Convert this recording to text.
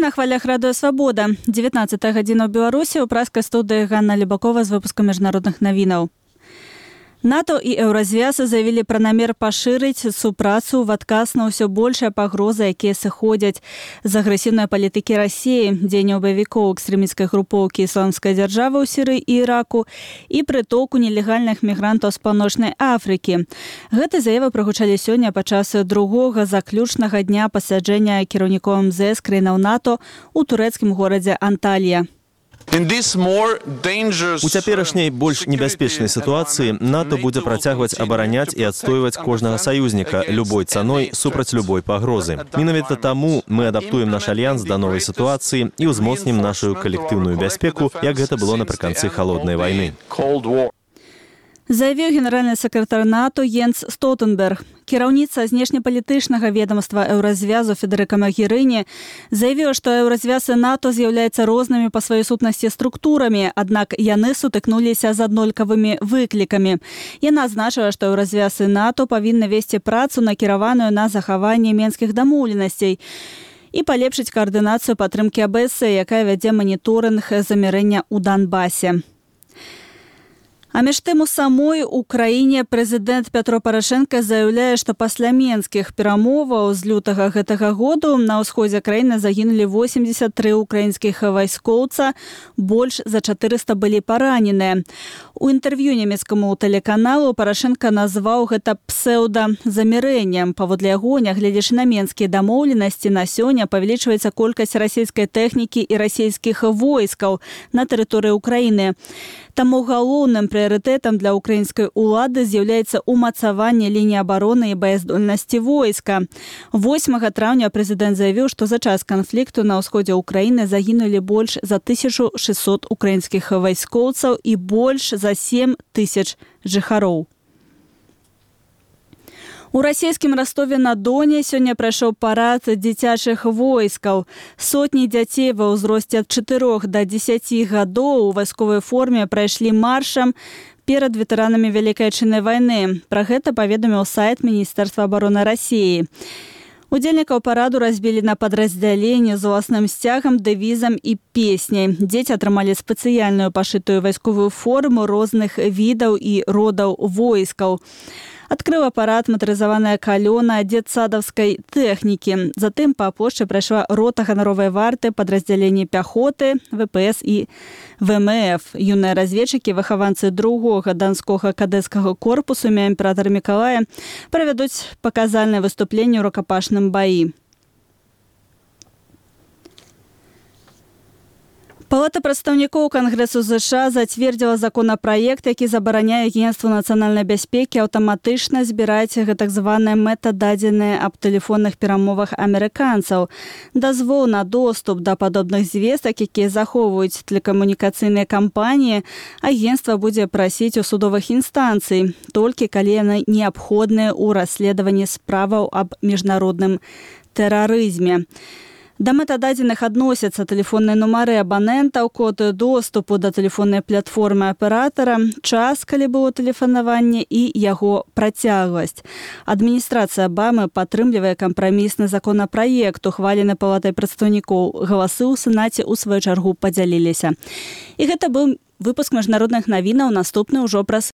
На хвалях радыё «Свабода». 19 гадзіна ў Беларусі ў праскай студыі Ганна Лебакова з выпускам міжнародных навінаў. НАТО і Еўразвяз заявілі пра намер пашырыць супрацу ў адказ на ўсё большыя пагрозы, якія сыходзяць з агрэсіўнай палітыкі Расіі, дзеянняў баевікоў экстрэмісцкай групоўкі ісламскай дзяржавы ў Сірыі і Іраку і прытоку нелегальных мігрантаў з Паўночнай Афрыкі. Гэты заявы прагучалі сёння падчас другога заключнага дня пасяджэння кіраўнікоў МЗС краінаў НАТО ў турэцкім горадзе Анталія. У цяперашняй больш небяспечнай сітуацыі НАТО будзе працягваць абараняць і адстойваць кожнага саюзніка любой цаной супраць любой пагрозы. Менавіта таму мы адаптуем наш альянс да новай сітуацыі і ўзмоцнім нашу калектыўную бяспеку, як гэта было напрыканцы халоднай вайны. Заявіў генеральны сакратар НАТО Йенс Столтенберг. Кіраўніца знешнепалітычнага ведомства Еўразвязу Федэрыка Магерыні заявіла, што Еўразвяз і НАТО з'яўляюцца рознымі па сваёй сутнасці структурамі, аднак яны сутыкнуліся з аднолькавымі выклікамі. Яна адзначыла, што Еўразвяз і НАТО павінны весці працу, накіраваную на захаванне менскіх дамоўленасцей і палепшыць каардынацыю падтрымкі АБС, якая вядзе маніторынг замірэння ў Донбасе. А між тым у самой Украіне прэзідэнт Пятро Парашенка заяўляе, што пасля менскіх перамоваў з лютага гэтага году на ўсходзе краіны загінулі 83 украінскіх вайскоўца, больш за 400 былі параненыя. У інтэрв'ю нямецкаму тэлеканалу Парашенка назваў гэта псеўдазамірэннем. Паводле яго, нягледзячы на менскія дамоўленасці, на сёння павялічваецца колькасць расійскай тэхнікі і расійскіх войскаў на тэрыторыі Украіны. Таму галоўным прыярытэтам для украінскай улады з'яўляецца ўмацаванне лініі абароны і баяздольнасці войска. 8 траўня прэзідэнт заявіў, што за час канфлікту на ўсходзе Украіны загінулі больш за 1600 украінскіх вайскоўцаў і больш за 7 тысяч жыхароў. У расійскім Ростове-на-Доне сёння прайшоў парад дзіцячых войскаў. Сотні дзяцей ва ўзросце ад 4 да 10 гадоў у вайсковай форме прайшлі маршам перад ветэранамі Вялікай Адчыннай вайны. Пра гэта паведаміў сайт Міністэрства абароны Расіі. Удзельнікаў параду разбілі на падраздзяленні з уласным сцягам, дэвізам і песняй. Дзеці атрымалі спецыяльную пашытую вайсковую форму розных відаў і родаў войскаў. Адкрыла парад матарызаваная калёна дзетсадаўскай тэхнікі. Затым па плошчы прайшла рота ганаровай варты, падраздзяленні пяхоты, ВПС і ВМФ. Юныя разведчыкі, выхаванцы другога данскога кадэцкага корпусу імя імператара Мікалая правядуць паказальнае выступленне ў рукапашным баі. Палата прадстаўнікоў Кангрэсу США зацвердзіла законапраект, які забараняе Агенцтву нацыянальнай бяспекі аўтаматычна збіраць гэтак званыя метададзеныя аб тэлефонных перамовах амерыканцаў. Дазвол на доступ да падобных звестак, якія захоўваюць тэлекамунікацыйныя кампаніі, агенцтва будзе прасіць у судовых інстанцый, толькі калі яны неабходныя ў расследаванні справаў аб міжнародным тэрарызме. Да метададзеных адносяцца тэлефонныя нумары абанентаў, код доступу да тэлефоннай платформы аператара, час, калі было тэлефанаванне і яго працягласць. Адміністрацыя Абамы падтрымлівае кампрамісны законапраект, ухвалены Палатай прадстаўнікоў. Галасы ў Сенаце ў сваю чаргу падзяліліся. І гэта быў выпуск міжнародных навінаў, наступны ўжо праз